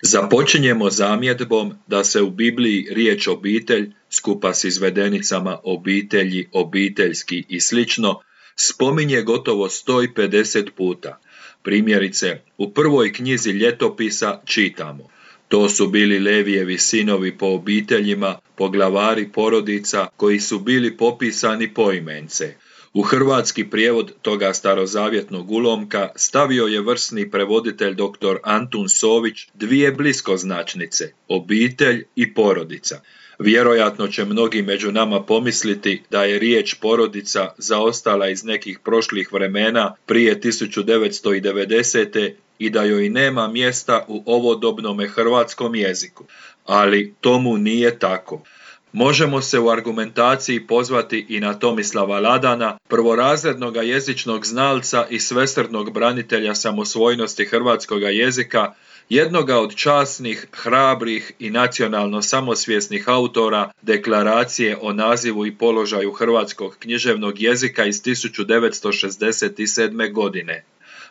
Započinjemo zamjedbom da se u Bibliji riječ obitelj, skupa s izvedenicama obitelji, obiteljski i slično, spominje gotovo 150 puta. Primjerice, u prvoj knjizi Ljetopisa čitamo: to su bili Levijevi sinovi po obiteljima, poglavari porodica koji su bili popisani poimence. U hrvatski prijevod toga starozavjetnog ulomka stavio je vrsni prevoditelj dr. Antun Sović dvije bliskoznačnice, obitelj i porodica. Vjerojatno će mnogi među nama pomisliti da je riječ porodica zaostala iz nekih prošlih vremena prije 1990. i da joj nema mjesta u ovodobnome hrvatskom jeziku. Ali tomu nije tako. Možemo se u argumentaciji pozvati i na Tomislava Ladana, prvorazrednoga jezičnog znalca i svesrdnog branitelja samosvojnosti hrvatskoga jezika, jednoga od časnih, hrabrih i nacionalno samosvjesnih autora Deklaracije o nazivu i položaju hrvatskog književnog jezika iz 1967. godine.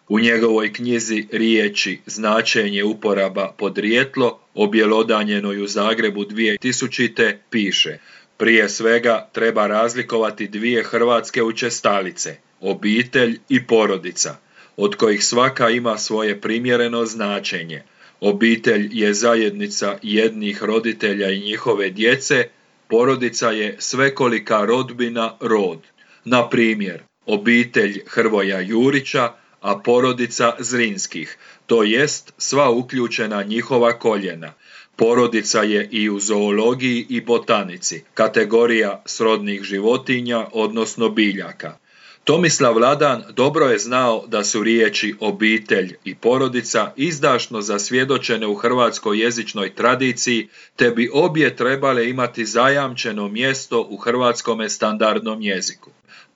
U njegovoj knjizi Riječi, značenje, uporaba, podrijetlo, objelodanjenoj u Zagrebu 2000. piše: prije svega treba razlikovati dvije hrvatske učestalice, obitelj i porodica, od kojih svaka ima svoje primjereno značenje. Obitelj je zajednica jednih roditelja i njihove djece, porodica je svekolika rodbina, rod. Na primjer, obitelj Hrvoja Jurića, a porodica Zrinskih, to jest sva uključena njihova koljena. Porodica je i u zoologiji i botanici, kategorija srodnih životinja, odnosno biljaka. Tomislav Ladan dobro je znao da su riječi obitelj i porodica izdašno zasvjedočene u hrvatskoj jezičnoj tradiciji, te bi obje trebale imati zajamčeno mjesto u hrvatskome standardnom jeziku.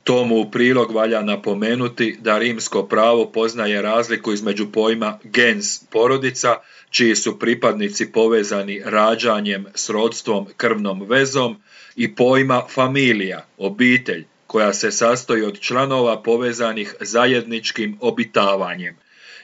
Tomu u prilog valja napomenuti da rimsko pravo poznaje razliku između pojma gens, porodica, čiji su pripadnici povezani rađanjem, srodstvom, krvnom vezom, i pojma familija, obitelj, koja se sastoji od članova povezanih zajedničkim obitavanjem.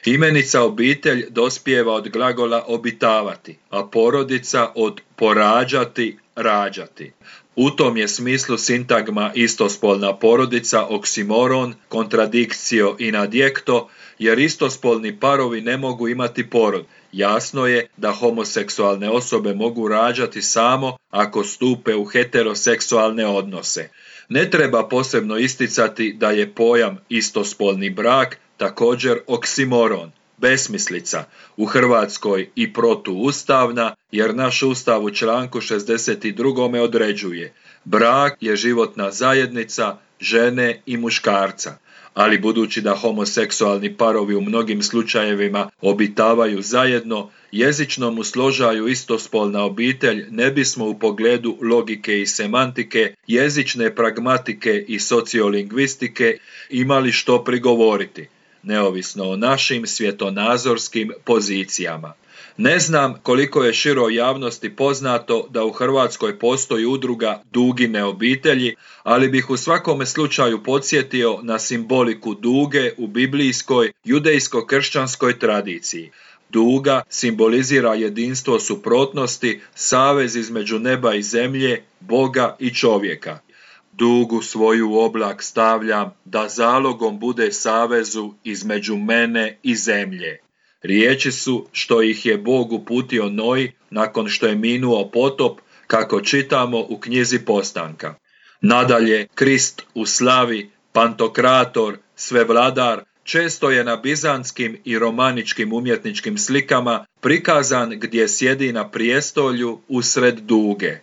Imenica obitelj dospijeva od glagola obitavati, a porodica od porađati, rađati. U tom je smislu sintagma istospolna porodica oksimoron, kontradikcio in adjekto, jer istospolni parovi ne mogu imati porod. Jasno je da homoseksualne osobe mogu rađati samo ako stupe u heteroseksualne odnose. Ne treba posebno isticati da je pojam istospolni brak također oksimoron, besmislica, u Hrvatskoj i protuustavna, jer naš Ustav u članku 62. određuje: brak je životna zajednica žene i muškarca. Ali budući da homoseksualni parovi u mnogim slučajevima obitavaju zajedno, jezičnom usložaju istospolna obitelj ne bismo u pogledu logike i semantike, jezične pragmatike i sociolingvistike imali što prigovoriti, neovisno o našim svjetonazorskim pozicijama. Ne znam koliko je široj javnosti poznato da u Hrvatskoj postoji udruga Dugine obitelji, ali bih u svakome slučaju podsjetio na simboliku duge u biblijskoj judejsko-kršćanskoj tradiciji. Duga simbolizira jedinstvo suprotnosti, savez između neba i zemlje, Boga i čovjeka. Dugu svoju u oblak stavljam, da zalogom bude savezu između mene i zemlje. Riječi su što ih je Bog uputio Noji nakon što je minuo potop, kako čitamo u knjizi Postanka. Nadalje, Krist u slavi, Pantokrator, Svevladar, često je na bizantskim i romaničkim umjetničkim slikama prikazan gdje sjedi na prijestolju usred duge.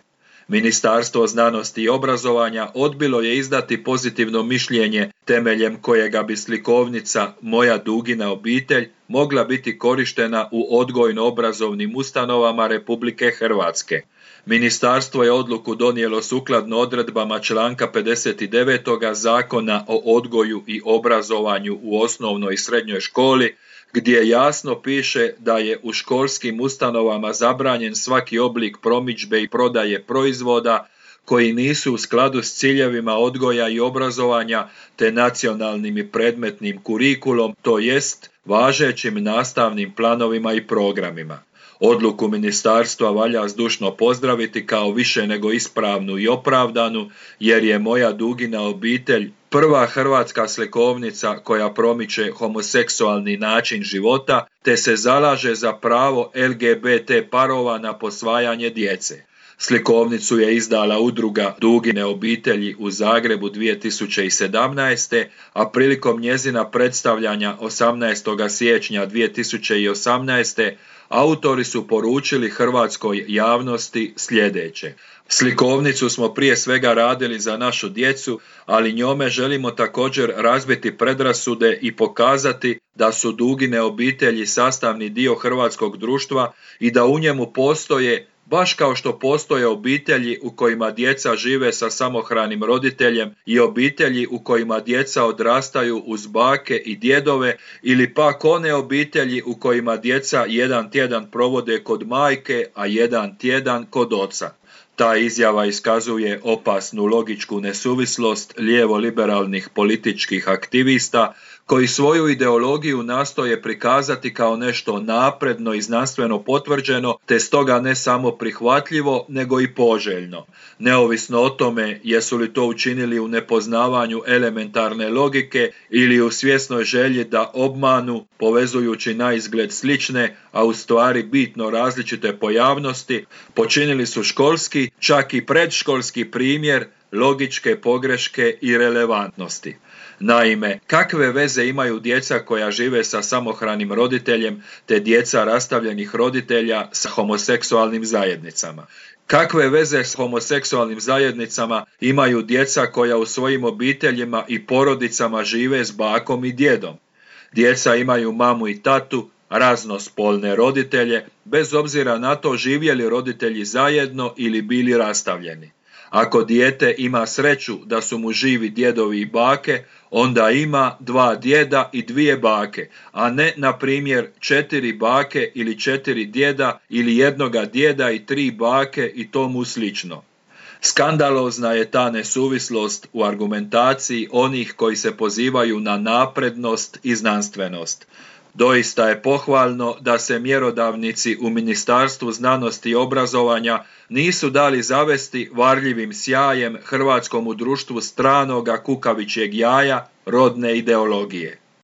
Ministarstvo znanosti i obrazovanja odbilo je izdati pozitivno mišljenje temeljem kojega bi slikovnica Moja Dugina obitelj mogla biti korištena u odgojno-obrazovnim ustanovama Republike Hrvatske. Ministarstvo je odluku donijelo sukladno odredbama članka 59. Zakona o odgoju i obrazovanju u osnovnoj i srednjoj školi, gdje jasno piše da je u školskim ustanovama zabranjen svaki oblik promidžbe i prodaje proizvoda koji nisu u skladu s ciljevima odgoja i obrazovanja te nacionalnim i predmetnim kurikulom, to jest važećim nastavnim planovima i programima. Odluku ministarstva valja zdušno pozdraviti kao više nego ispravnu i opravdanu, jer je Moja Dugina obitelj prva hrvatska slikovnica koja promiče homoseksualni način života te se zalaže za pravo LGBT parova na posvajanje djece. Slikovnicu je izdala udruga Dugine obitelji u Zagrebu 2017. a prilikom njezina predstavljanja 18. siječnja 2018. autori su poručili hrvatskoj javnosti sljedeće. Slikovnicu smo prije svega radili za našu djecu, ali njome želimo također razbiti predrasude i pokazati da su Dugine obitelji sastavni dio hrvatskog društva i da u njemu postoje, baš kao što postoje obitelji u kojima djeca žive sa samohranim roditeljem i obitelji u kojima djeca odrastaju uz bake i djedove, ili pak one obitelji u kojima djeca jedan tjedan provode kod majke, a jedan tjedan kod oca. Ta izjava iskazuje opasnu logičku nesuvislost lijevo-liberalnih političkih aktivista koji svoju ideologiju nastoje prikazati kao nešto napredno i znanstveno potvrđeno, te stoga ne samo prihvatljivo, nego i poželjno. Neovisno o tome jesu li to učinili u nepoznavanju elementarne logike ili u svjesnoj želji da obmanu, povezujući naizgled slične, a u stvari bitno različite pojavnosti, počinili su školski, čak i predškolski primjer logičke pogreške i relevantnosti. Naime, kakve veze imaju djeca koja žive sa samohranim roditeljem te djeca rastavljenih roditelja sa homoseksualnim zajednicama? Kakve veze s homoseksualnim zajednicama imaju djeca koja u svojim obiteljima i porodicama žive s bakom i djedom? Djeca imaju mamu i tatu, raznospolne roditelje, bez obzira na to živjeli roditelji zajedno ili bili rastavljeni. Ako dijete ima sreću da su mu živi djedovi i bake, onda ima 2 djeda i 2 bake, a ne, na primjer, 4 bake ili 4 djeda ili 1 djeda i 3 bake i tomu slično. Skandalozna je ta nesuvislost u argumentaciji onih koji se pozivaju na naprednost i znanstvenost. Doista je pohvalno da se mjerodavnici u Ministarstvu znanosti i obrazovanja nisu dali zavesti varljivim sjajem hrvatskomu društvu stranoga kukavičjeg jaja rodne ideologije.